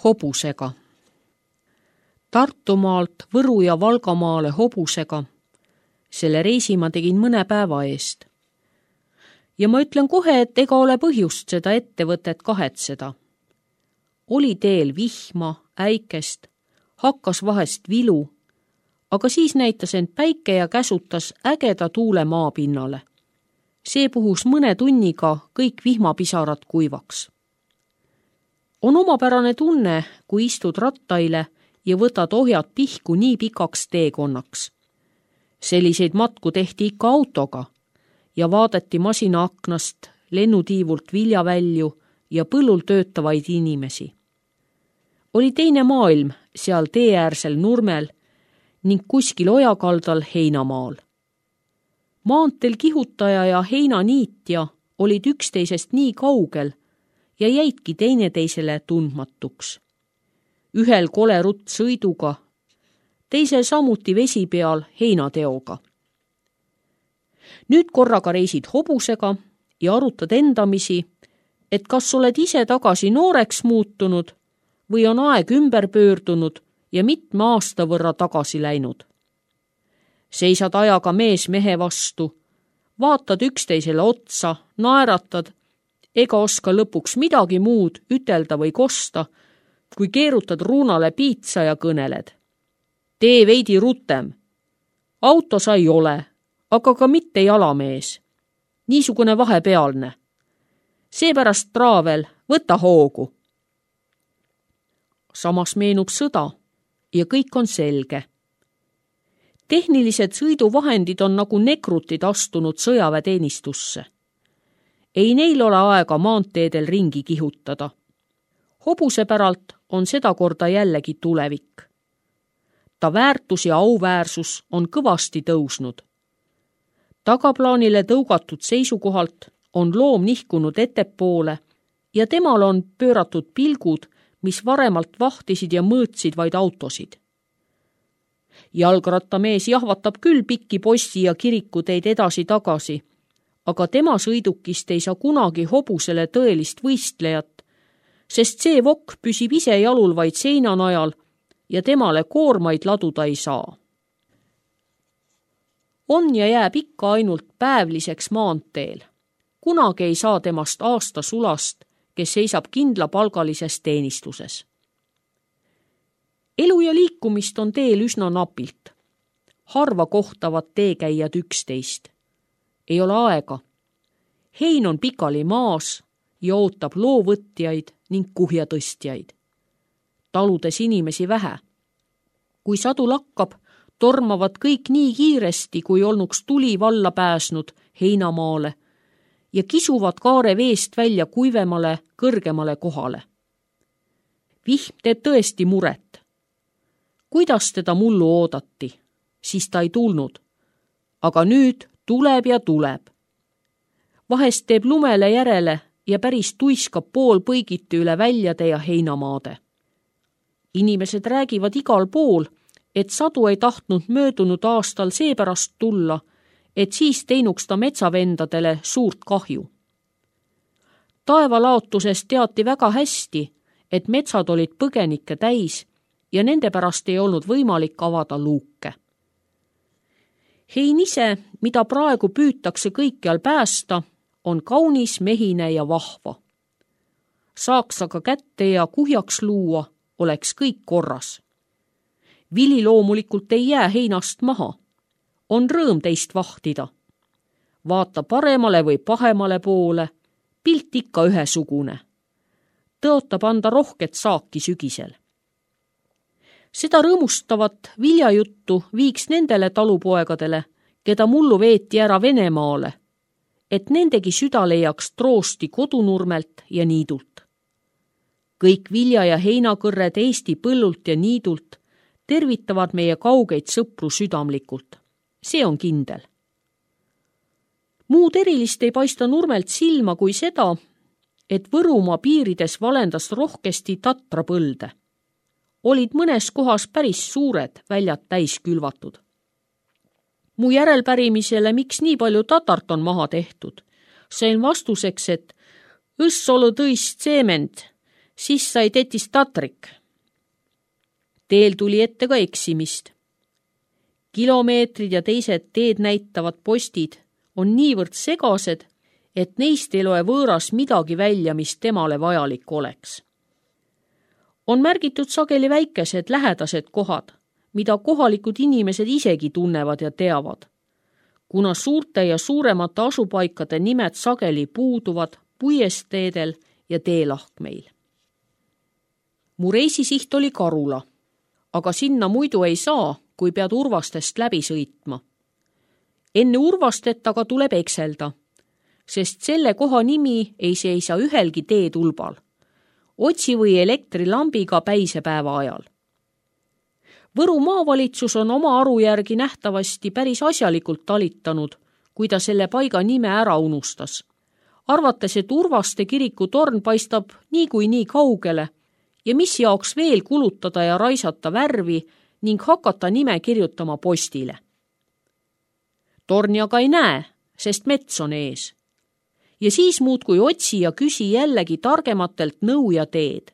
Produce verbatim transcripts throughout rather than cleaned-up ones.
hobusega. Tartumaalt Võru ja Valgamaale hobusega. Selle reisi ma tegin mõne päeva eest. Ja ma ütlen kohe, et ega ole põhjust seda ettevõtet kahetseda. Oli teel vihma, äikest, hakkas vahest vilu, aga siis näitas end päike ja käsutas ägeda tuule maapinnale. See puhus mõne tunniga kõik vihmapisarad kuivaks. On omapärane tunne, kui istud rattaile ja võtad ohjad pihku nii pikaks teekonnaks. Selliseid matku tehti ikka autoga ja vaadati masina aknast lennutiivult viljavälju ja põllul töötavaid inimesi. Oli teine maailm seal teeäärsel nurmel ning kuskil ojakaldal heinamaal. Maanteel kihutaja ja heinaniitja olid üksteisest nii kaugel ja jäidki teineteisele tundmatuks. Ühel kole rutt sõiduga, teisel samuti vesi peal heinateoga. Nüüd korraga reisid hobusega ja arutad endamisi, et kas oled ise tagasi nooreks muutunud või on aeg ümber pöördunud ja mitme aasta võrra tagasi läinud. Seisad ajaga mees mehe vastu, vaatad üksteisele otsa, naeratad, ega oska lõpuks midagi muud ütelda või kosta, kui keerutad ruunale piitsa ja kõneled. Tee veidi rutem. Auto sa ei ole, aga ka mitte jalamees. Niisugune vahepealne. Seepärast traavel, võta hoogu. Samas meenub sõda ja kõik on selge. Tehnilised sõiduvahendid on nagu nekrutid astunud sõjaväeteenistusse. Ei neil ole aega maanteedel ringi kihutada. Hobuse päralt on seda korda jällegi tulevik. Ta väärtus ja auväärsus on kõvasti tõusnud. Tagaplaanile tõugatud seisukohalt on loom nihkunud ettepoole ja temal on pööratud pilgud, mis varemalt vahtisid ja mõõtsid vaid autosid. Jalgrattamees jahvatab küll pikki possi ja kirikuteid edasi-tagasi, aga tema sõidukist ei saa kunagi hobusele tõelist võistlejat, sest see vokk püsib ise jalul vaid seina najal ja temale koormaid laduda ei saa. On ja jääb ikka ainult päevliseks maanteel. Kunagi ei saa temast aasta sulast, kes seisab kindlapalgalises teenistuses. Elu ja liikumist on teel üsna napilt. Harva kohtavad teekäijad üksteist. Ei ole aega. Hein on pikali maas ja ootab loovõtjaid ning kuhjatõstjaid. Taludes inimesi vähe. Kui sadu lakkab, tormavad kõik nii kiiresti, kui olnuks tuli valla pääsnud heinamaale ja kisuvad kaare veest välja kuivemale, kõrgemale kohale. Vihm teeb tõesti muret. Kuidas teda mullu oodati, siis ta ei tulnud. Aga nüüd tuleb ja tuleb. Vahest teeb lumele järele ja päris tuiskab pool põigiti üle väljade ja heinamaade. Inimesed räägivad igal pool, et sadu ei tahtnud möödunud aastal seepärast tulla, et siis teinuks ta metsavendadele suurt kahju. Taevalaotusest teati väga hästi, et metsad olid põgenikke täis ja nende pärast ei olnud võimalik avada luuke. Hein ise, mida praegu püütakse kõikjal päästa, on kaunis, mehine ja vahva. Saaks aga kätte ja kuhjaks luua, oleks kõik korras. Vili loomulikult ei jää heinast maha. On rõõm teist vahtida. Vaata paremale või pahemale poole, pilt ikka ühesugune. Tõotab anda rohket saaki sügisel. Seda rõõmustavat viljajuttu viiks nendele talupoegadele, keda mullu veeti ära Venemaale, et nendegi süda leiaks troosti kodunurmelt ja niidult. Kõik vilja- ja heinakõrred Eesti põllult ja niidult tervitavad meie kaugeid sõpru südamlikult. See on kindel. Muud erilist ei paista nurmelt silma kui seda, et Võrumaa piirides valendas rohkesti tatrapõlde. Olid mõnes kohas päris suured väljad täis külvatud. Mu järelpärimisele, miks nii palju tatart on maha tehtud, sain vastuseks, et õssolu tõist seement, siis sai tetist tatrik. Teel tuli ette ka eksimist. Kilomeetrid ja teised teed näitavad postid on niivõrd segased, et neist ei loe võõras midagi välja, mis temale vajalik oleks. On märgitud sageli väikesed lähedased kohad, mida kohalikud inimesed isegi tunnevad ja teavad, kuna suurte ja suuremate asupaikade nimed sageli puuduvad puiesteedel ja teelahkmeil. Mu reisisiht oli Karula, aga sinna muidu ei saa, kui pead Urvastest läbi sõitma. Enne Urvastet aga tuleb ekselda, sest selle koha nimi ei seisa ühelgi teetulbal. Otsi või elektrilambiga päisepäeva ajal. Võru maavalitsus on oma aru järgi nähtavasti päris asjalikult talitanud, kui ta selle paiga nime ära unustas. Arvates, et Urvaste kiriku torn paistab nii kui nii kaugele ja mis jaoks veel kulutada ja raisata värvi ning hakata nime kirjutama postile. Torni aga ei näe, sest mets on ees. Ja siis muudkui otsi ja küsi jällegi targematelt nõu ja teed.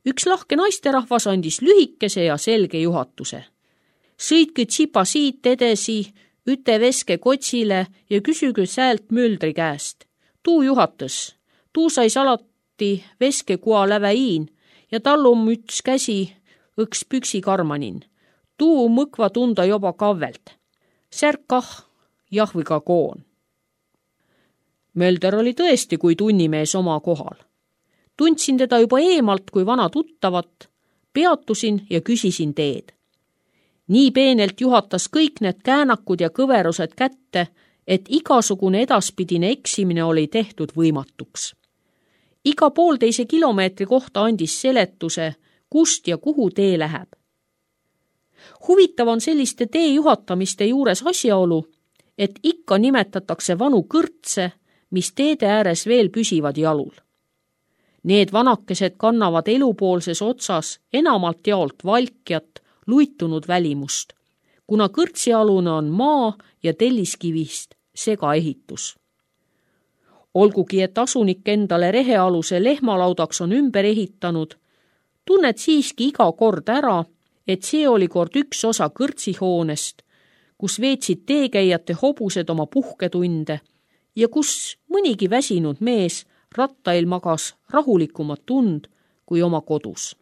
Üks lahke naisterahvas andis lühikese ja selge juhatuse. Sõitke tsipa siit edesi, üte veske kotsile ja küsige säält möldri käest. Tuu juhatas, tuu sais alati veske kua läväiin ja tal on müts käsi õks püksi karmanin. Tuu mõkva tunda joba kavvelt. Särk kah, jahviga koon. Mölder oli tõesti kui tunnimees oma kohal. Tundsin teda juba eemalt kui vana tuttavat, peatusin ja küsisin teed. Nii peenelt juhatas kõik need käänakud ja kõverused kätte, et igasugune edaspidine eksimine oli tehtud võimatuks. Iga poolteise kilomeetri kohta andis seletuse, kust ja kuhu tee läheb. Huvitav on selliste tee juhatamiste juures asjaolu, et ikka nimetatakse vanu kõrtse, mis teede ääres veel püsivad jalul. Need vanakesed kannavad elupoolses otsas enamalt jaolt valkjat, luitunud välimust, kuna kõrtsialune on maa ja telliskivist segaehitus. Olgugi, et asunik endale rehealuse lehmalaudaks on ümber ehitanud, tunned siiski iga kord ära, et see oli kord üks osa kõrtsihoonest, kus veetsid teekäijate hobused oma puhketunde ja kus mõnigi väsinud mees rattail magas rahulikumat tund kui oma kodus.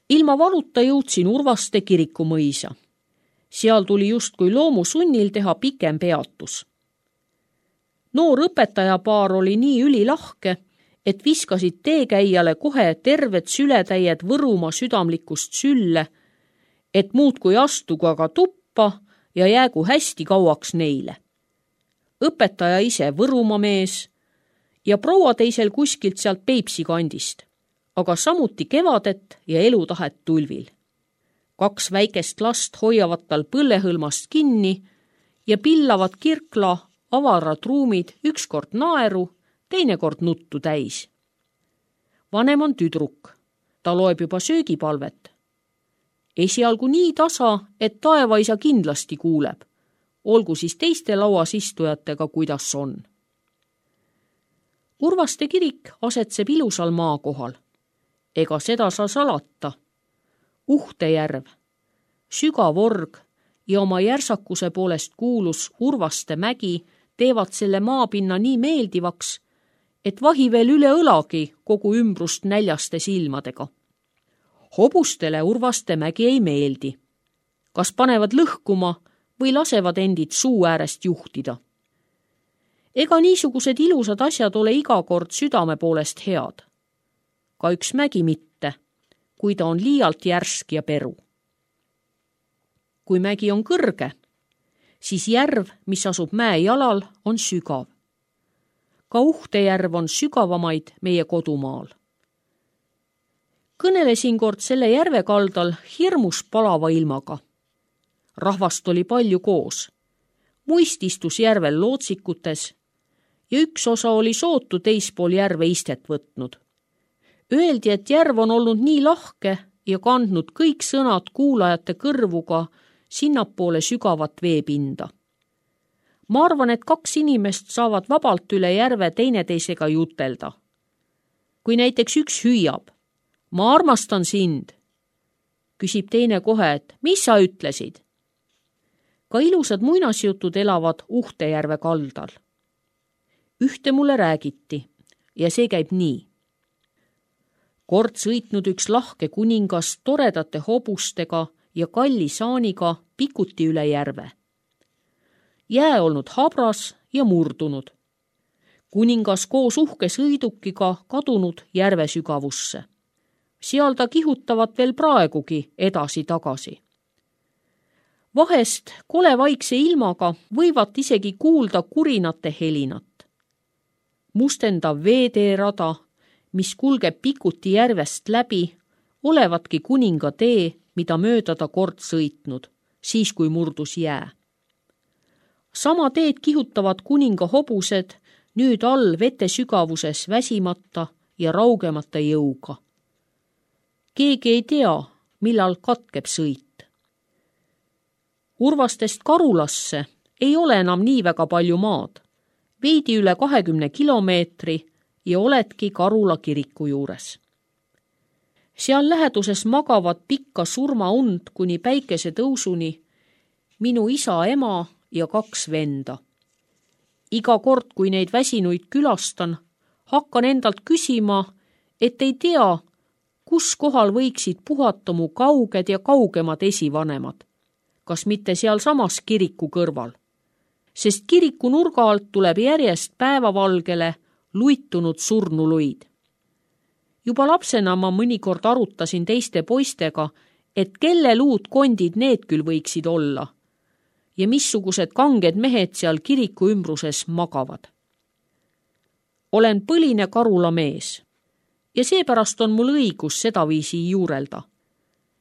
Ilma valuta jõudsin Urvaste kirikumõisa. Seal tuli justkui loomusunnil teha pikem peatus. Noor õpetajapaar oli nii ülilahke, et viskasid teekäijale kohe terved sületäied Võrumaa südamlikust sülle, et muud kui astugu aga tuppa ja jäägu hästi kauaks neile. Õpetaja ise Võrumaa mees ja proua teisel kuskilt sealt Peipsi kandist, aga samuti kevadet ja elutahet tulvil. Kaks väikest last hoiavad tal põllehõlmast kinni ja pillavad kirkla avarad ruumid ükskord naeru, teinekord nuttu täis. Vanem on tüdruk, ta loeb juba söögipalvet. Esialgu nii tasa, et taevaisa kindlasti kuuleb, olgu siis teiste lauas istujatega, kuidas on. Urvaste kirik asetseb ilusal maakohal. Ega seda saa salata. Uhtejärv, sügav org ja oma järsakuse poolest kuulus Urvaste mägi teevad selle maapinna nii meeldivaks, et vahi veel üle õlagi kogu ümbrust näljaste silmadega. Hobustele Urvaste mägi ei meeldi. Kas panevad lõhkuma või lasevad endid suu äärest juhtida. Ega niisugused ilusad asjad ole iga kord südame poolest head. Ka üks mägi mitte, kui ta on liialt järsk ja peru. Kui mägi on kõrge, siis järv, mis asub mäe jalal, on sügav. Ka Uhtejärv on sügavamaid meie kodumaal. Kõnelesin kord selle järve kaldal hirmus palava ilmaga. Rahvast oli palju koos. Muist istus järvel lootsikutes ja üks osa oli sootu teispool järve istet võtnud. Öeldi, et järv on olnud nii lahke ja kandnud kõik sõnad kuulajate kõrvuga sinnapoole sügavat veepinda. Ma arvan, et kaks inimest saavad vabalt üle järve teineteisega jutelda. kui näiteks üks hüüab, ma armastan sind, küsib teine kohe, et mis sa ütlesid? Ka ilusad muinasjutud elavad Uhtejärve kaldal. Ühte mulle räägiti ja see käib nii. Kord sõitnud üks lahke kuningas toredate hobustega ja kalli saaniga Pikuti üle järve. Jää olnud habras ja murdunud. Kuningas koos uhke sõidukiga kadunud järve sügavusse. Seal ta kihutavat veel praegugi edasi-tagasi. Vahest kole vaikse ilmaga võivad isegi kuulda kurinate helinat. Mustendav veeteerada, mis kulgeb Pikuti järvest läbi, olevatki kuninga tee, mida mööda ta kord sõitnud, siis kui murdus jää. Sama teed kihutavad kuninga hobused nüüd all vete sügavuses väsimata ja raugemata jõuga. Keegi ei tea, millal katkeb sõit. Urvastest Karulasse ei ole enam nii väga palju maad, veidi üle kahekümne kilomeetri ja oledki Karula kiriku juures. Seal läheduses magavad pikka surmaund kuni päikese tõusuni minu isa, ema ja kaks venda. Iga kord, kui neid väsinuid külastan, hakkan endalt küsima, et ei tea, kus kohal võiksid puhata mu kauged ja kaugemad esivanemad, kas mitte seal samas kiriku kõrval, sest kiriku nurga alt tuleb järjest päevavalgele luitunud surnuluid. Juba lapsena ma mõnikord arutasin teiste poistega, et kelle luud kondid need küll võiksid olla ja missugused kanged mehed seal kiriku ümbruses magavad. Olen põline Karula mees ja seepärast on mul õigus sedaviisi juurelda,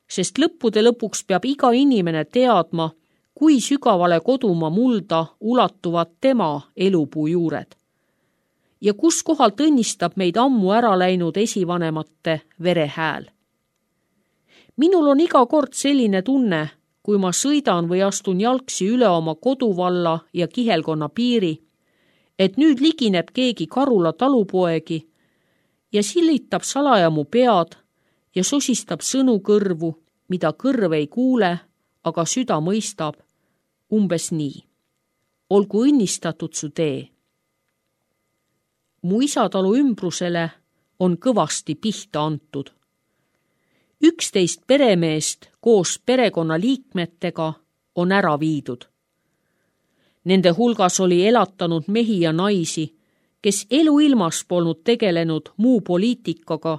sest lõppude lõpuks peab iga inimene teadma, kui sügavale kodumaa mulda ulatuvad tema elupuu juured ja kus kohalt õnnistab meid ammu ära läinud esivanemate verehääl. Minul on iga kord selline tunne, kui ma sõidan või astun jalgsi üle oma koduvalla ja kihelkonna piiri, et nüüd ligineb keegi Karula talupoegi ja silitab salaja mu pead ja sosistab sõnu kõrvu, mida kõrv ei kuule, aga süda mõistab umbes nii. Olgu õnnistatud su tee. Mu isatalu ümbrusele on kõvasti pihta antud. Üksteist peremeest koos perekonna liikmetega on ära viidud. Nende hulgas oli elatanud mehi ja naisi, kes eluilmas polnud tegelenud muu poliitikaga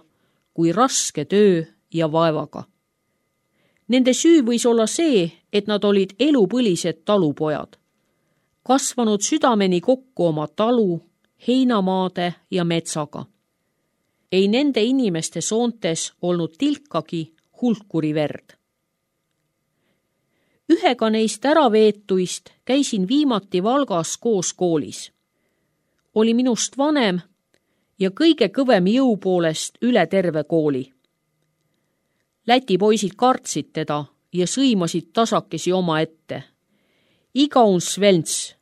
kui raske töö ja vaevaga. Nende süü võis olla see, et nad olid elupõlised talupojad, kasvanud südameni kokku oma talu, heinamaade ja metsaga. Ei nende inimeste soontes olnud tilkagi hulkuri verd. Ühega neist äraveetuist käisin viimati Valgas koos koolis. Oli minust vanem ja kõige kõvem jõu poolest üle terve kooli. Läti poisid kartsid teda ja sõimasid tasakesi oma ette. Iga un svelts,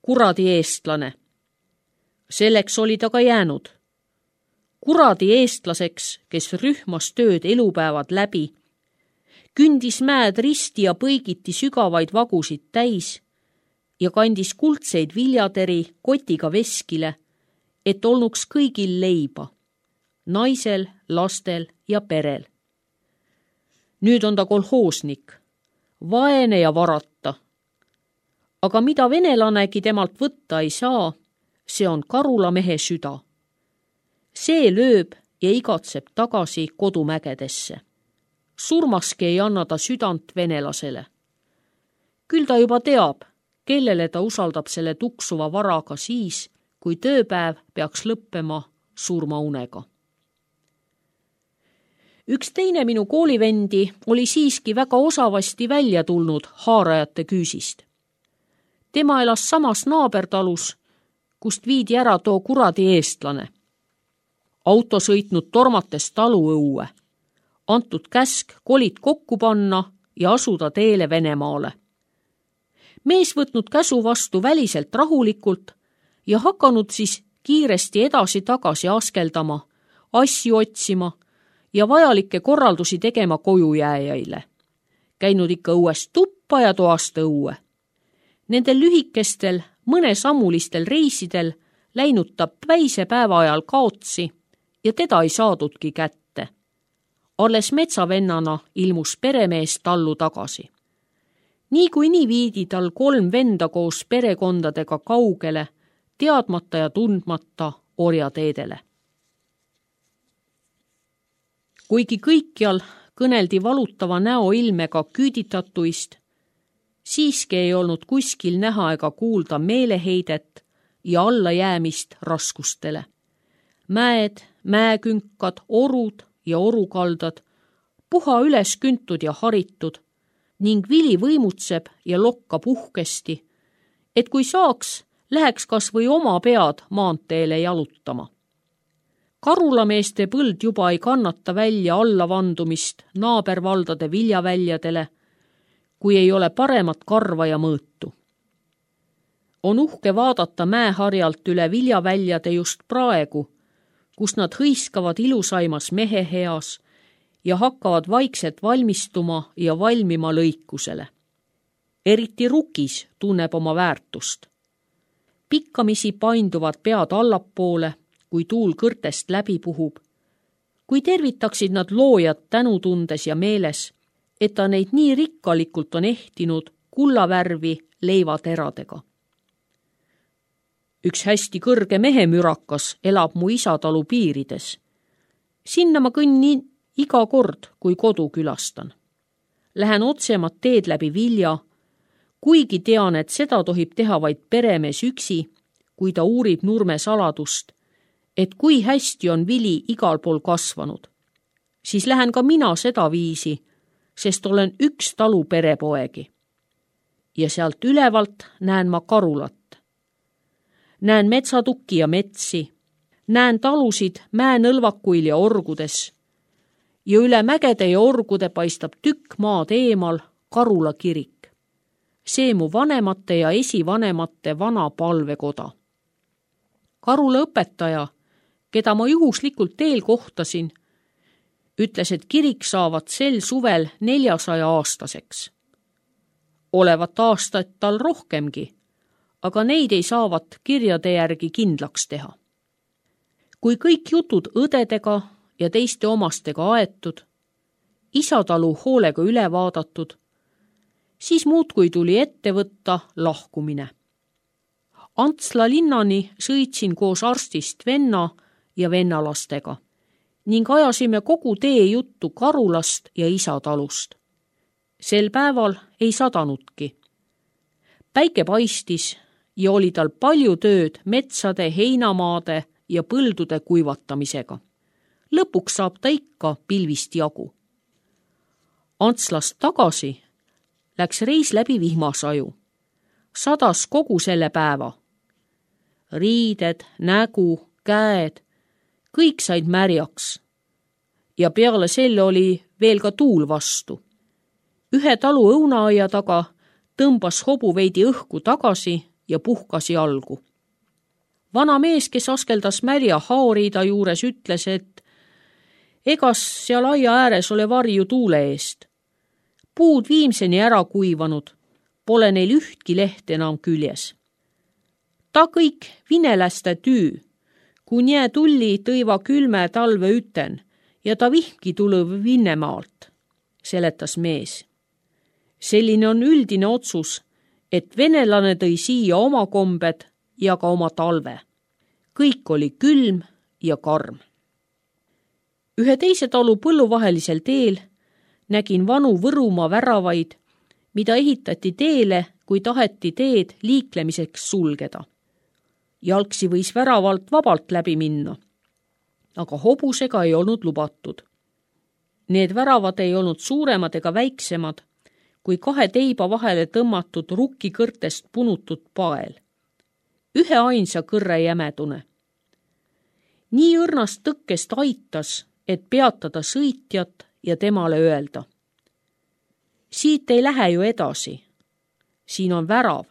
kuradi eestlane. Selleks oli ta ka jäänud. Kuradi eestlaseks, kes rühmas tööd elupäevad läbi, kündis mäed risti ja põigiti sügavaid vagusid täis ja kandis kuldseid viljateri kotiga veskile, et olnuks kõigil leiba, naisel, lastel ja perel. Nüüd on ta kolhoosnik, vaene ja varata. Aga mida venelanegi temalt võtta ei saa, see on Karula mehe süda. See lööb ja igatseb tagasi kodumägedesse. Surmaski ei anna ta südant venelasele. Küll ta juba teab, kellele ta usaldab selle tuksuva varaga siis, kui tööpäev peaks lõppema surmaunega. Üks teine minu koolivendi oli siiski väga osavasti välja tulnud haarajate küüsist. Tema elas samas naabertalus, kust viidi ära too kuradi eestlane. Auto sõitnud tormates taluõue, antud käsk kolid kokku panna ja asuda teele Venemaale. Mees võtnud käsu vastu väliselt rahulikult ja hakanud siis kiiresti edasi-tagasi askeldama, asju otsima ja vajalikke korraldusi tegema kojujääjaile. Käinud ikka õuest tuppa ja toast õue. Nendel lühikestel, mõnesammulistel reisidel läinud ta päise päeva ajal kaotsi ja teda ei saadudki kätte. Alles metsavennana ilmus peremees tallu tagasi. Nii kui nii viidi tal kolm venda koos perekondadega kaugele, teadmata ja tundmata orjateedele. Kuigi kõikjal kõneldi valutava näo ilmega küüditatuist, siiski ei olnud kuskil näha ega kuulda meeleheidet ja allajäämist raskustele. Mäed, mäekünkad, orud ja orukaldad, puha üles küntud ja haritud ning vili võimutseb ja lokkab uhkesti, et kui saaks, läheks kas või oma pead maanteele jalutama. Karulameeste põld juba ei kannata välja allavandumist naabervaldade viljaväljadele, kui ei ole paremat karva ja mõõtu. On uhke vaadata mäeharjalt üle viljaväljade just praegu, kus nad hõiskavad ilusaimas mehe heas ja hakkavad vaikselt valmistuma ja valmima lõikusele. Eriti rukis tunneb oma väärtust. Pikkamisi painduvad pead allapoole, kui tuul kõrtest läbi puhub. Kui tervitaksid nad loojad tänutundes ja meeles, et ta neid nii rikkalikult on ehtinud kullavärvi leivateradega. Üks hästi kõrge mehemürakas elab mu isatalu piirides. Sinna ma kõnnin iga kord, kui kodu külastan. Lähen otsemat teed läbi vilja, kuigi tean, et seda tohib teha vaid peremees üksi, kui ta uurib nurme saladust, et kui hästi on vili igal pool kasvanud. Siis lähen ka mina seda viisi, sest olen üks talu perepoegi. Ja sealt ülevalt näen ma karulat. Näen metsatukki ja metsi, näen talusid mäenõlvakuil ja orgudes. Ja üle mägede ja orgude paistab tükk maad eemal Karula kirik. See mu vanemate ja esivanemate vana palvekoda. Karula õpetaja, keda ma juhuslikult teel kohtasin, ütles, et kirik saavad sel suvel neljasaja aastaseks. Olevat aastat tal rohkemgi, aga neid ei saavat kirjade järgi kindlaks teha. Kui kõik jutud õdedega ja teiste omastega aetud, isatalu hoolega üle vaadatud, siis muudkui tuli ette võtta lahkumine. Antsla linnani sõitsin koos arstist venna ja vennalastega ning ajasime kogu tee juttu Karulast ja isatalust. Sel päeval ei sadanudki. Päike paistis ja oli tal palju tööd metsade, heinamaade ja põldude kuivatamisega. Lõpuks saab ta ikka pilvist jagu. Antslast tagasi läks reis läbi vihmasaju. Sadas kogu selle päeva. Riided, nägu, käed, kõik said märjaks. Ja peale selle oli veel ka tuul vastu. Ühe talu õunaaia taga tõmbas hobu veidi õhku tagasi ja puhkas jalgu. Vana mees, kes askeldas märja haoriida juures, ütles, et egas seal aia ääres ole varju tuule eest. Puud viimseni ära kuivanud, pole neil ühtki leht enam küljes. Ta kõik vineläste tüü, kui nää tulli tõiva külme talve üten ja ta vihki tulev Vinnemaalt, seletas mees. Selline on üldine otsus, et venelane tõi siia oma kombed ja ka oma talve. Kõik oli külm ja karm. Ühe teise talu põlluvahelisel teel nägin vanu Võrumaa väravaid, mida ehitati teele, kui taheti teed liiklemiseks sulgeda. Jalgsi võis väravalt vabalt läbi minna, aga hobusega ei olnud lubatud. Need väravad ei olnud suuremad ega väiksemad, kui kahe teiba vahele tõmmatud rukkikõrtest punutud pael. Ühe ainsa kõrre jämedune. Nii õrnast tõkkest aitas, et peatada sõitjat ja temale öelda. Siit ei lähe ju edasi. Siin on värav.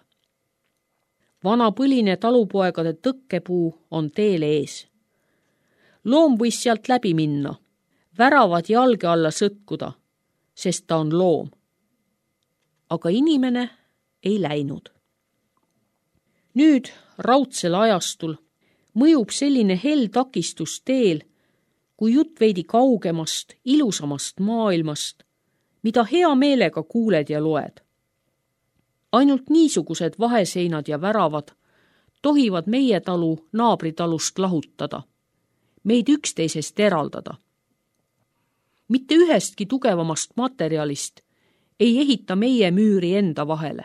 Vana põline talupoegade tõkkepuu on teel ees. loom võis sealt läbi minna, väravad jalge alla sõtkuda, sest ta on loom. Aga inimene ei läinud. Nüüd raudsel ajastul mõjub selline hell takistus teel, kui jutt veidi kaugemast, ilusamast maailmast, mida hea meelega kuuled ja loed. Ainult niisugused vaheseinad ja väravad tohivad meie talu naabritalust lahutada, meid üksteisest eraldada. Mitte ühestki tugevamast materjalist ei ehita meie müüri enda vahele.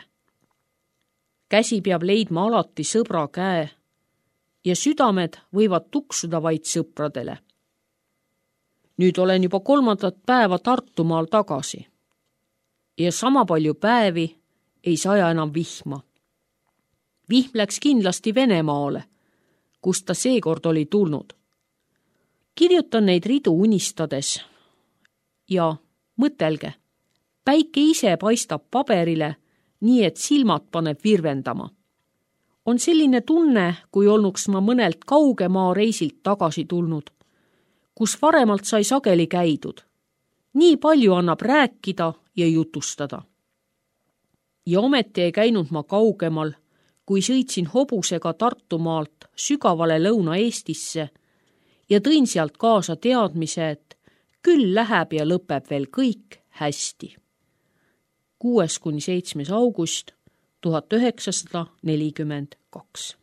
Käsi peab leidma alati sõbra käe ja südamed võivad tuksuda vaid sõpradele. Nüüd olen juba kolmandat päeva Tartumaal tagasi ja sama palju päevi ei saja enam vihma. Vihm läks kindlasti Venemaale, kust ta seekord oli tulnud. Kirjutan neid ridu unistades ja mõtelge, päike ise paistab paberile, nii et silmad paneb virvendama. On selline tunne, kui olnuks ma mõnelt kaugemaa reisilt tagasi tulnud, kus varemalt sai sageli käidud. Nii palju annab rääkida ja jutustada. Ja ometi ei käinud ma kaugemal, kui sõitsin hobusega Tartumaalt sügavale Lõuna-Eestisse ja tõin sealt kaasa teadmise, et küll läheb ja lõpeb veel kõik hästi. kuues kuni seitsmes august tuhat üheksasada nelikümmend kaks.